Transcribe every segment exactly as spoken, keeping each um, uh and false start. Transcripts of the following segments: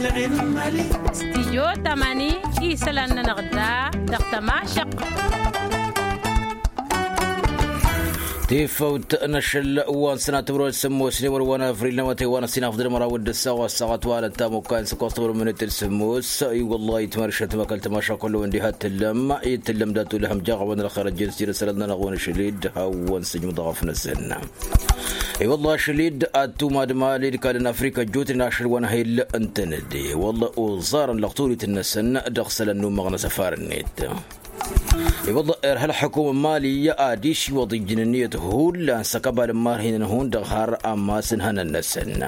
Stijyo tamani isălan-nănăɣ da dăɣ-tămašăq. Tifăwt n-ašăl wa n-sănatămrăwăl sămmos n-iwăr wa n-avril n-awătay wa n-ăssinafḍăl măraw d-ǝssaɣ wa s-săɣăt wa n-ăttamukka n-săkoẓ tămrăwăl minit d-sămmos. I-wăllah itmăršăt măkăl tămaša kullu-wăn diha t-tǝllăm i-tǝllăm dat-ulhăm jaɣ-awăn ălxer ăjjeen s-jere isălan-nănăɣ wa n-ašăl-dd hawăn-sǝjmǝḍăɣ afnăsăn. I-wăllah ašăl-dd ad-tumad mali d-kall n-afrika ăjjootnen ašăl wa n-ahil ǝntănăde wălla oẓarăn lăɣturit-năsăn dăɣ-isălan n-ummăɣ n-asăfar-net. I-wălla irha ălḥukum n-mali ad-isiwăḍ ijjǝn ǝnniyăt hullan s-akăbal n-imarhinăn hundăɣ har amas n-ihănan-năsăn.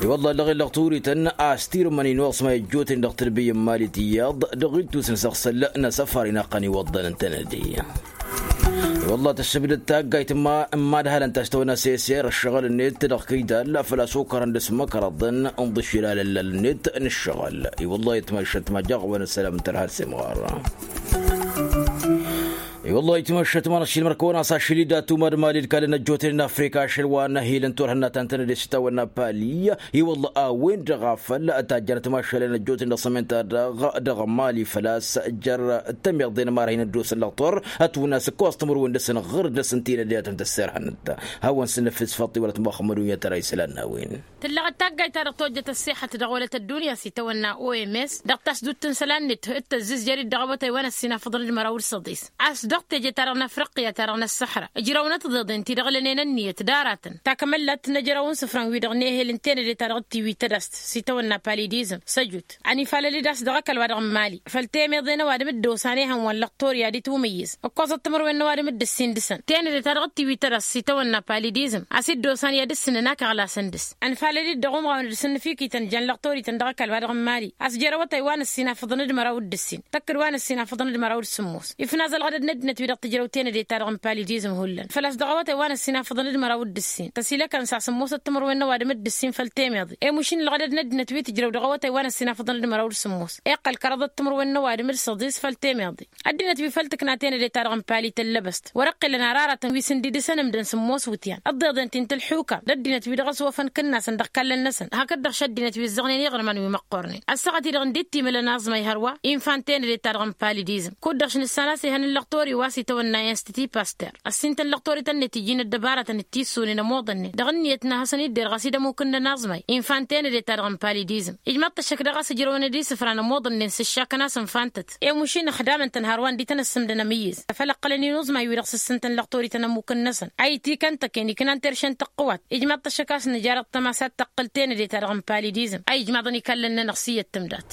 I-wălla ăllăɣen lăɣturităn a-s tirǝmăn inuɣsma ijjootnen dăɣ-tǝlbǝy n-mali tiyyăḍ dăɣ-ittus n-isăɣsăl n-asăfar inaqqăn iwăḍḍăn ǝntănăde. I-wălla tǝssǝbdăd taggayt n-imadhalăn ta s-tăwănna s-eser ăššăɣǝl-net dăɣ-kăydal făl-a-s okărăn dăr-s măkrăḍăn n-iḍǝššel alăllal-net n-ǝššăɣǝl. I-wălla itmăššăt ma jaɣ-wăn ăssălam n-tărha d-semɣar. I-wălla itmăššăt ma n-ašilmăr kăwăn-as ašil-i d-atumad mali d-kallăn ăjjootnen n-afrika ašăl wa n-ahil n-turhǝnna ta n-tănăde s-itawănna pali. I-wălla a-wen-dăɣ a făl tajjănăt mašalăn ăjjootnen dăɣ-sămen-ta-dăɣ dăɣ-mali făl-a-s jer-tămeḍe n-imarhăyăn ăddoosăn lăɣtor ătwǝnna s-ǝkkoẓ timǝrwen dăɣ-săn ɣǝr-dăɣ s-ǝnta-i n-ăddinăt n-tăssirhănăt. Hawăn-săn năfes făṭṭi wăla t-muxămmăd unyăt ara isălan n-a-wen. Tǝllăɣ d-taggayt ta dăɣ-tojjăt ăṣṣixăt dăɣ-wălăt ăddunya s-itawănna oms dăɣ-tasdut n-isălan-net d-tăzzǝzjăr-dd dăɣ-awătay wa n-ăssinafăḍăn d-măraw d-săḍis. A-s dăɣ-teje-ta-dăɣ n-afriqya-ta-dăɣ n-ăṣṣăḥra ǝjrăwnăt tiḍeḍen ti-dăɣ lănen ǝnniyăt d-aratăn takămăllat n-ejrăw n-isǝfran-wi-dăɣ n-ehel n-tenăde-ta-dăɣ d-tiwit tădast s-itawănna palidizm săjut. Ănifalăl-dd a-s dăɣ-ăkall-wa-dăɣ n-mali făll-temeḍe n-ăwadǝm dd-osan ehăn wa n-lăqtor i-ad-itwǝmǝyyǝz ǝkkoẓăt timǝrwen n-ăwadǝm dd-ǝssin dăɣ-săn tenăde-ta-dăɣ d-tiwit tădast s-itawănna palidizm a-s dd-osan i-ad-ǝssǝnăn akăɣlasăn dăɣ-s. Ănfalăl-dd dăɣ-umɣawen d-sǝnnǝfikităn jan lăqtorităn dăɣ-ăkall-wa-dăɣ n-mali a-s jer-awătay wa n-ăssinafăḍăn d-măraw d-ǝssin tăkk-dd wa n-ăssinafăḍăn d-măraw d-sǝmmos ifnaz ălɣădăd n-ăddinăt-wi-dăɣ tǝjrăw tenăde-ta-dăɣ n-palidizm hullan făl-a-s dăɣ-awătay wa n-ăssinafăḍăn d-măraw d-ǝssin tăsilăkăn s-asǝmmosăt timǝrwen n-ăwadǝm d-ǝssin făll-temeḍe i-mušin ălɣădăd n-ăddinăt wi tǝjrăw dăɣ-awătay wa n-ăssinafăḍăn d-măraw d-sǝmmos iqqăl kăraḍăt timǝrwen n-ăwadǝm d-săḍis făll-temeḍe. Ăddinăt wi făl tǝkna tenăde-ta-dăɣ n-pali tăllăbăst wăr-ăqqilăn ar aratăn wi s-ǝndidǝsăn ǝmdăn sǝmmos wǝtyan ăḍḍeḍen ti n-tǝlḥukam d-ăddinăt wi dăɣ-s wăfăn kǝnnasăn dăɣ-kallăn-năsăn hakd-dăɣ šăddinăt wi ǝzzăɣnen iɣrǝman wi măqqornen ăssaɣăt-i-dăɣ ǝndid timǝlăn aẓmay hărwa. Infan tenăde-ta-dăɣ n-palidizm kud-dăɣ š-nǝssan a-s ihăn n-lăqtor-i wa s-itawănna institut paster ăssintăn lăqtorităn-net ijjin ăddăbarătăn d-tissunen ămoḍănnen dăɣ-ǝnniyăt n-ad-hasăn-dd-derɣ a-s dd-ămukǝnnăn aẓmay. Infan tenăde-ta-dăɣ n-palidizm ijmaḍ-t ăššăk daɣ a-s ǝjrăwăn d-isǝfran ămoḍănnen s-ǝššakăn-as ǝnfan-tăt i-mušin ăxdamăn-tăn hărwa ǝndi tăn-ăssǝmdăn amǝyyǝz făl ǝqqǝlăn inǝẓmay-wi-dăɣ s-ǝssǝntăn lăqtorităn ămmukǝnnăsăn a itikăn tăken iknan terše n-tăqqǝwat. Ijmaḍ-t ăššăk a-s nǝjar ăṭṭăma s-ad-tăqqǝl tenăde-ta-dăɣ n-palidizm a ijmaḍăn ikallăn-nănăɣ s-iyyăt tǝmdat.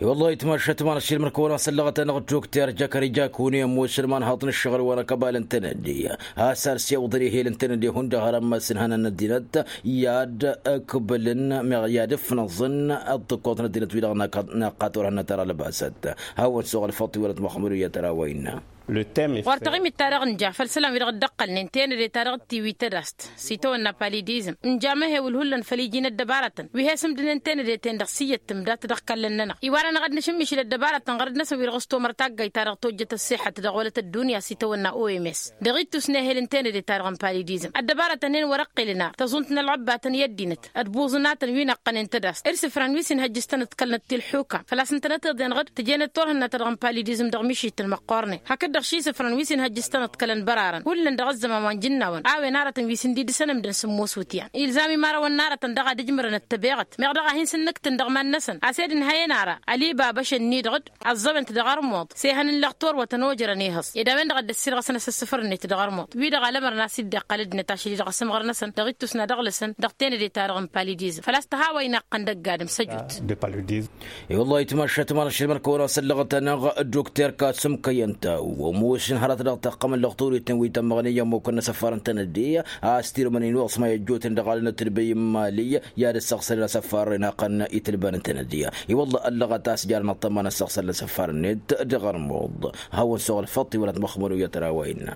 I-wăllah itmăššăt ma n-ašilmăr-kăwăn-asăllăɣăt-anăɣ d-dokter jăkări jakune ămoosăn imanhăḍ n-ǝššăɣǝl wa n-akăbal n-tenăde a-s ar s-iwǝḍăn ehel n-tenăde hundăɣ har ămmas n-ihănan n-ăddinăt i-ad-ǝkbǝlăn meɣ i-ad-ǝfnăẓăn ăṭṭǝkkoḍ n-ăddinăt-wi-dăɣ n-ăqqaṭ wăr hănnăt ara lăbasăt. Hawăn-suɣ ălfăṭṭ iwălăt muxămmăd u-iyyăt ara wa innă. Ɣur-taɣimit-ta-dăɣ ǝnja făll-isălan-wi-dăɣ dd-ăqqălnen tenăde-ta-dăɣ d-tiwit tădast s-itawănna palidizm ǝnja amăhewǝl hullan făll-iji n-ăddăbarătăn wi he-sǝmdǝnen tenăde-ten-dăɣ s-iyyăt tǝmdat dăɣ-kallăn-nănăɣ. Iwar-anăɣ ad-nǝšǝmmišǝl ăddăbarătăn ɣărăt-năsăn wi-dăɣ s-tomăr taggayt-ta-dăɣ tojjăt ăṣṣixăt dăɣ-wălăt ăddunya s-itawănna oms dăɣ-ittus n-ehel n-tenăde-ta-dăɣ n-palidizm ăddăbarătăn-en wăr-ăqqilăn ar tăẓunt n-ălɣăbbatăn i-ăddinăt d-buẓǝnatăn wi n-ăqqănen tădast d-isǝfran wi s-inhăjjǝs-tănăḍkălnăt ti-ălḥukam făl-a-s ǝntănăt iḍen ɣǝd tǝjenăt turhǝnna-ta-dăɣ n-palidizm dăɣ-mišităn măqqornen hakd-dăɣ ši isǝfran wi s-inhăjjǝs-tănăḍkălăn bărarăn hullan dăɣ-ăzzăman wa n-jǝnnawăn a-wen aratăn wi s-ǝndidǝsăn ǝmdăn sǝmmos wǝtyan ilzam imarăwăn n-aratăn daɣ ad-ǝjmărăn ăttăbeɣăt meɣ daɣ a hin-sǝnnǝktǝn dăɣ-iman-năsăn a-s ed ǝnhăyăn ara ălibabăš-ǝnni-dăɣ d-ăẓẓăwăn-t dăɣ-armuḍ s-ehăn n-lăqtor wa tănojărăn ehăẓ ed a-wen-dăɣ a dd-ăssirɣăsăn asǝssǝfăr-net dăɣ-armuḍ wi-dăɣ alămărăn a-s dd-iqqăl ăddinăt ašăl-i-dăɣ asǝmɣăr-năsăn dăɣ-ittus n-ad-ăɣlăsăn dăɣ-tenăde-ta-dăɣ n-palidizm făl-a-s tăhawa-i-naqqăn dăgg-adǝm săjut. I-wăllah itmăššăt ma n-ašilmăr-kăwăn-asăllăɣăt-anăɣ d-dokter kasǝm kăyyăn-taw ămoosăn hărăt dăɣ-taqqăm n-lăɣturităn wi tămmăɣnen i-ămmukăn n-asăfar n-tenăde a-s tirǝmăn inuɣsma i-ăjjootnen dăɣ-alăn ătǝlbăy n-imali i-ad-ǝssăɣsălăn asăfar inaqqăn i-tǝlban n-tenăde. I-wăllah ăllăɣăt a-s jarăn ăṭṭăma n-ăssăɣsălăn asăfar-net dăɣ-armuḍ. Hawăn-suɣ ălfăṭṭ iwălăt măxmăr u-iyyăt ara wa innă.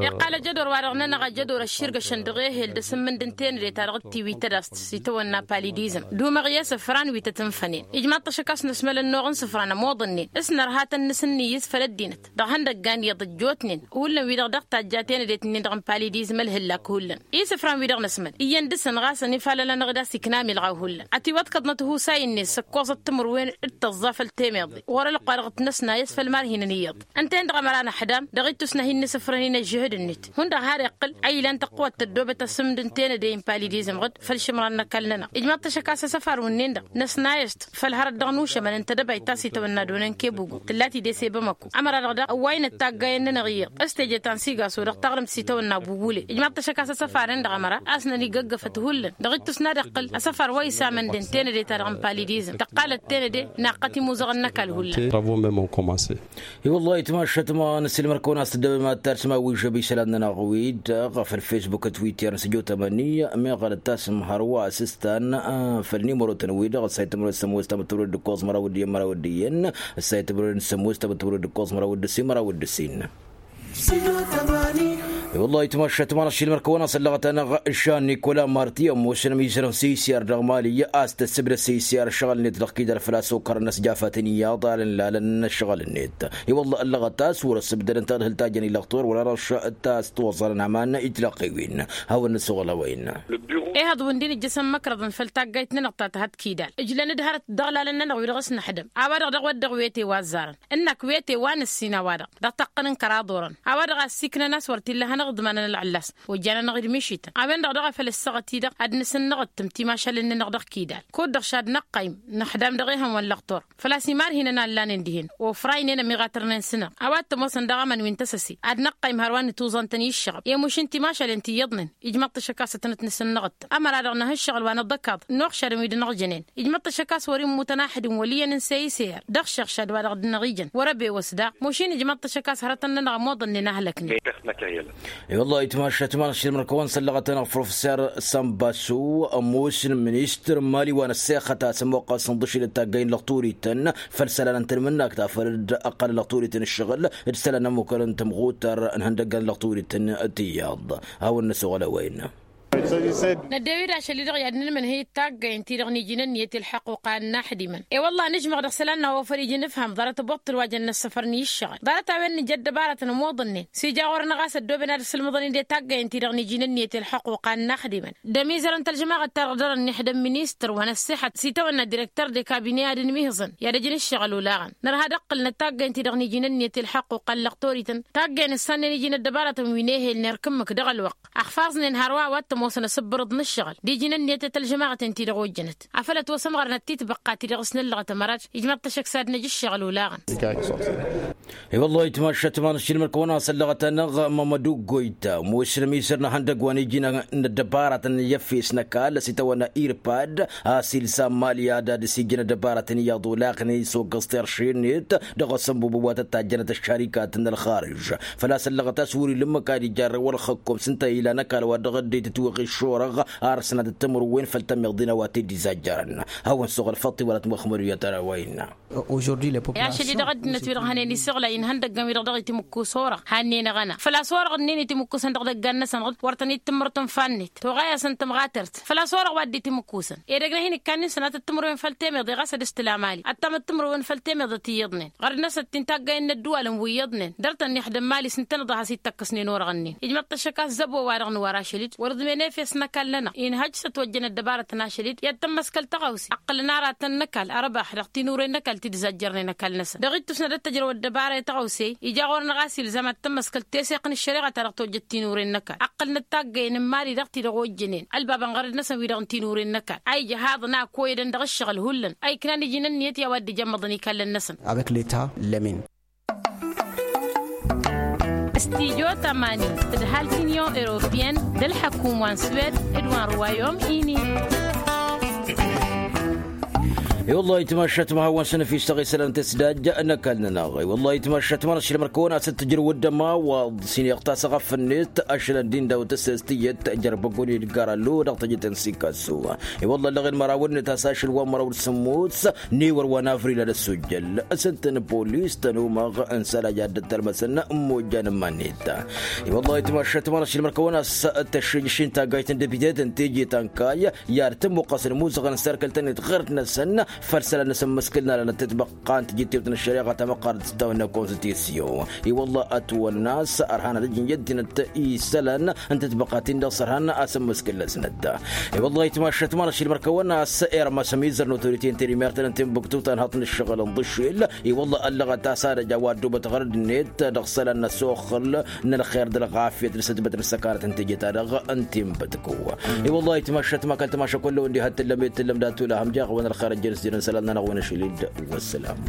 Iqqal ajădor-wa-dăɣ-nănăɣ ajădor ăšširgăšăn dăɣ-ehel d-asǝmmǝnd n-tenăde-ta-dăɣ d-tiwit tădast s-itawănna palidizm d-umăɣ i-isǝfran wi tăt-ǝnfănen. Ijmaḍ-t ašăk a-s nǝsmăl ănnuɣ n-isǝfran ămoḍănnen s-nărha tăn-nǝsǝnniyǝz făll-ăddinăt. Ihăndăggan iyyăḍ ăjjootnen hullan wi-dăɣ dăɣ-tajja tenădet-nin-dăɣ n-palidizm ălhǝllak hullan isǝfran wi-dăɣ năsmăd iyyăn dăr-săn ɣas ănifalăl-anăɣ d-asikna milɣaw hullan ătiwăḍkăḍnăt husa-i-net s-ăkkoẓăt timǝrwen d-tăẓẓa făll-temeḍe ɣur-ălqwa dăɣ-t-năsna i-s făll-imarhinăn iyyăḍ. Ǝnta-en-dăɣ ămăra năḥdam dăɣ-ittus n-ad-hin-nǝsǝfrăn-in ăžžǝhǝd-net hundăɣ har iqqǝl a ilan tăqqǝwăt tăddoobet asǝmd n-tenăde n-palidizm ɣǝd făll-išǝmran n-ăkall-nănăɣ ijmaḍ-t ăššăk a-s asăfar wǝnnin-dăɣ năsnayăst făll-hărăt dăɣ-nušămăn n-tedăbayt ta s-itawănna d-onăn kebugum tǝlla-t-dd e-s i-bamăko. Ămăra-dăɣ daɣ ăwway n-ăttaggayen-nănăɣ iyyăḍ s-teje ta n-sigaso dăɣ-taɣrǝmt s-itawănna bubule ijmaḍ-t ăššăk a-s asăfaren-dăɣ ămăra a-s nănigăggăfăt hullan dăɣ-ittus n-ad-iqqǝl asăfar wa isamănden tenăde-ta-dăɣ n-palidizm tăqqalăt tenăde naqqăt imuzăɣăn n-ăkall hullan. Travaux même ont commencé. I-wăllah itmašat ma n-ăssilmăr-kăwăn a-s tǝddăbem ad-tarsǝm a-wi žăb isălan-nănăɣ wi-dăɣ făll-facebook d-twitter n-săjo tămăni meɣ ad-ăttasǝm hărwa asǝstan făll-nimărotăn-wi-dăɣ ăssayăt timărwen s-sămoos tamăttămărwen d-ǝkkoẓ măraw d-iyyăn măraw d-iyyăn ăssayăt timărwen s-sămoos tamăttămărwen d-ǝkkoẓ măraw d-ǝssin măraw d-ǝssin. I-wăllah itmašat ma n-ăssilmăr-kăwăn a-s ăllăɣăt-anăɣ žan nikola marti ămoosăn ămizărăn s-isyar dăɣ-mali a-s tăssǝbdăd s-isyar ăššăɣǝl-net dăɣ-kidal făl-a-s okărăn ăsjafatăn iyyăḍ alăn lalăn n-ăššăɣǝl-net. I-wălla ăllăɣăt a-s wăr-ăssǝbdădăn tadhǝlt ta jăn ilăɣtor wăla răš ta s-tiwăẓẓalăn aman itlăqqiwen. Hawăn-nǝssuɣǝl a-wa innă. Ehăḍ wǝndin ǝjjăsăn măkrăḍăn făll-taggayt-nănăɣ ta tăhăt kidal ǝjlăn-dd hărăt dăɣ-lalăn-nănăɣ wi-dăɣ s-năḥdăm a-wa-dăɣ dăɣ-wădden wete wa ăzzarăn ǝnnak wete wa năssin a-wa-dăɣ dăɣ-taqqăn n-kăraḍ orăn a-wa-dăɣ a ăssiiknăn a-s wăr t-illa hanăɣ-iḍmanăn ălɣǝllas. Ojjanănăɣ-dd mišităn a-wen-dăɣ daɣ a făl ǝssaɣăt-i-dăɣ ad-nǝsǝnnăɣ d-tǝm timašalen-nănăɣ dăɣ-kidal kud-dăɣ šad-năqqăym năxdam dăɣ-ehăn wa n-lăɣtor făl-a-s imarhinăn a ǝllanen dihen ofraynen ămiɣatărnen s-năɣ a-wa t-ămoosăn dăɣ-amăn wi n-tăsăse ad-năqqăym hărwa n-ituẓantăn i-ǝššăɣăb i-mušin timašalen ti iyyăḍnen. Ijmăḍ-t ăššăk a-s ătnăt-nǝsǝnnăɣ d-tǝm ămăra-dăɣ năhǝššăɣǝl wa n-aḍăkaḍ n-uɣšadăn wi dăɣ-năɣjănen. Ijmăḍ-t ăššăk a-s wăr-immutăn axǝd n-wăl' iyyăn n-seyser dăɣ-šăɣšad wa dăɣ-dd-năɣ-ijăn wăr-ăbewăs daɣ mušin ijmăḍ-t ăššăk a-s hărătăn-nănăɣ ămoḍănnen a hălăknen. I-wăllah itmašat ma n-ašilmăr-kăwăn s-ăllăɣăt-anăɣ professor sănbasu ămoos n-ministăr n-mali wa n-ăssexăt a-s ămoqqăs n-ḍǝšil d-taggay n-lăɣturităn făll-isălan n-tanmǝnnakt afăl dd-ăqqălăn lăɣturităn ǝššăɣǝl d-isălan n-ămmukăr n-tamɣutăr n-ihăndăggan lăɣturităn. Tiyyăḍ hawăn-năsoɣăl a-wa innă. Năddew-dd ašăl-i-dăɣ i-ad-nǝnmǝnhǝy d-taggay ǝnta-i-dăɣ n-iji n-ǝnniyăt i-ălḥăqquqa n-inaxdimăn. I-wălla nǝžmăɣ dăɣ-isălan n-awăfăr iji n-ǝfham ḍarăt ăboṭṭǝl wa jăn n-ăssăfăr n-i-ǝššăɣǝl ḍarăt-a-wen nǝja ăddăbarătăn ămoḍănnen s-ija ɣur-năɣ a-s ăddooben ad-ǝssǝlmǝḍăn-in d-taggay ǝnta-i-dăɣ n-iji n-ǝnniyăt i-ălḥăqquqa n-inaxdimăn. D-ămizărăn tălžămaɣăt-ta-dăɣ dăr-ănniḥdăm ministăr wa n-ăssixăt s-itawănna direktăr de kabine ad-ǝnmihǝẓăn i-ad-ăj n-ǝššăɣǝl olaɣăn nărha ad-ăqqǝlnăt taggay ǝnta-i-dăɣ n-iji n-ǝnniyăt i-ălḥăqquqa n-lăɣtorităn. Taggay nǝssannen iji n-ăddăbarătăn wi n-ehel n-erk ǝmmǝk dăɣ-ălwăqq ăxfaẓnen hărwa wa t-ămoosăn asǝbbărǝḍ n-ǝššăɣǝl d-iji n-ǝnniyăt i-tălžămaɣăt ǝnta-i-dăɣ ojjănăt afăl ătwăsămɣărnăt titbăqqa ti-dăɣ s-nǝllăɣăt ămărat. Ijmăḍ-t ăššăk s-ad-năj ǝššăɣǝl olaɣăn. I-wăllah itmašat ma n-ašilmăr-kăwăn a-s ăllăɣăt-anăɣ mămădu goyta ămoosăn ămizăr n-ihăndăg wa n-iji n-ăddăbarătăn i-efes n-ăkall a-s itawănna irpad a-s ilsa n-mali ad-ad-ǝsijjăn ăddăbarătăn iyyăḍ olaɣnen s-oggăẓ terše-net dăɣ-asănbubǝb wa tăt-tajjănăt ăššarikat n-ălxarǝž. Făl-a-s ăllăɣăt a-s wăr-ila ǝmmǝk ad-ija ărrăw ălxăkkom s-ǝnta ilan ăkall wa dăɣ-ăddinăt ătwăɣ iššorăɣ ar sănatăt timǝrwen făll-tămiḍen a-wa t-dd-izajjărăn. Hawăn-suɣǝl făṭṭi wăla tămăxmăduyăt ara wa innă. Ašăl-i-dăɣ ăddinăt-wi-dăɣ hănen isǝɣlay n-ihăndăggăn-wi-dăɣ dăɣ-itimǝkkus orăɣ hannen aɣăna făl-a-s orăɣ ǝnnin itimǝkkusăn dăɣ-idăggan-năsăn ɣǝd wăr tăn-dd-tǝmmǝrtăn fannet toɣay-asăn tămɣatărt. Făl-a-s orăɣ wa dd-itimǝkkusăn edăgg n-ad-hin-ikkannen sănatăt timǝrwen făll-temeḍe ɣas ad-ǝstǝl amali ăttamăt timǝrwen făll-temeḍe ti iyyăḍnen ɣărd-năsăn ti n-taggayen n-ădduwalăn wi iyyăḍnen dăr-tăn-ixdăm mali s-ǝntănăḍ a has-ittăkkăsnen orăɣ-ǝnnin. Ijmăḍ-t ăššăk a-s zăbo-wa-dăɣ n-wăr ašăl-dd wăr-ǝḍmen efes n-ăkall-nănăɣ inhăj s-ătwăjjăn ăddăbarăt n-ašăl-dd i-ad-tămmăskăl tăɣawse ăqqǝlăn aratăn n-ăkall ărbax dăɣ-tinuren n-ăkall ti dd-zajjărnen ăkall-năsăn dăɣ-ittus n-ad-ăttăjrăw ăddăbara i-tăɣawse. Ija ɣur-năɣ a-s ilzam ad-tămmăskăl teseɣt n-ăššăreɣa ta dăɣ-tojjăt tinuren n-ăkall ăqqǝlnăt taggayen n-mali dăɣ-ti-dăɣ ojjănen ălbabăn ɣărăd-năsăn wi-dăɣ n-tinuren n-ăkall a ija haḍăn a ăkkoyădăn dăɣ-ǝššăɣǝl hullan a iknan iji n-ǝnniyăt i-a-wa dd-ijămmăḍăn ikallăn-năsăn. Avec leta lămin. Studyo tămani tǝdhal ti-nion europeyăn d-ălḥăkum wa n-swed d-wa n-ruwayom ini. I-wăllah itmašat ma hawăn-săn ăfistăɣ isălan tăsdajja n-ăkall-nănăɣ i-wăllah itmašat ma n-ašăl mărkăwăn a-s t-tǝjrǝw d-ămawaḍ s-ineɣ tasăɣăf-net ašălăn din daw-tăsses tiyyăt jărbăgon idgar allo dăɣ-tejăt n-sikasso. I-wăllah ăllăɣen mărawăn-net a-s ašăl wa n-măraw d-sămmos n-ewăr wa n-avril ad-ăssujjăl s-ǝntăn polis tănomăɣ n-sălaj ad-dd-tălmăsăn n-mojjan n-iman-net. I-wăllah itmašat ma n-ašăl mărkăwăn a-s tăššǝjš n-taggayt n-depite tăn-teje ta n-kayy i-ad-tămmuqqăsăn imuzăɣăn n-serkăl-tăn-net ɣărd-năsăn. făll-isălan n-asǝmmǝskǝl n-alănăt tǝtbăqqa n-tijǝttewt n-ăššăreɣa tamăqqarăt s-tawănna konstitusyun. I-wălla ătwănna a-s ărhan ad-ăjǝn i-ăddinăt isălan n-tǝtbăqqa ti-dăɣ s-ărhan asǝmmǝskǝl-năsnăt. I-wălla ayǝtmašăt ma n-ašil mărkăwăn a-s irmăs ămizăr n-otorite n-tedimert n-tinbǝktut a ănhăḍ n-ǝššăɣǝl n-ḍǝšil. I-wălla ăllăɣăt a-s ad-ăj a-wa ăddoobăt ɣărăd-net dăɣ-isălan n-ăsoxăl n-ălxer d-ălɣafyăt n-sătbăt n-ăssăkanăt n-teje-ta-dăɣ n-tinbǝtku. I-wălla ayǝtmašăt ma kăl-tamaša kull-ăwăn diha t-tǝllăm i-t-tǝllăm d-atulahăm jaɣ-wăn ălxer ăjjăn s-jănăn isălan-nănăɣ wi n-ašăl-dd. Wăssălam.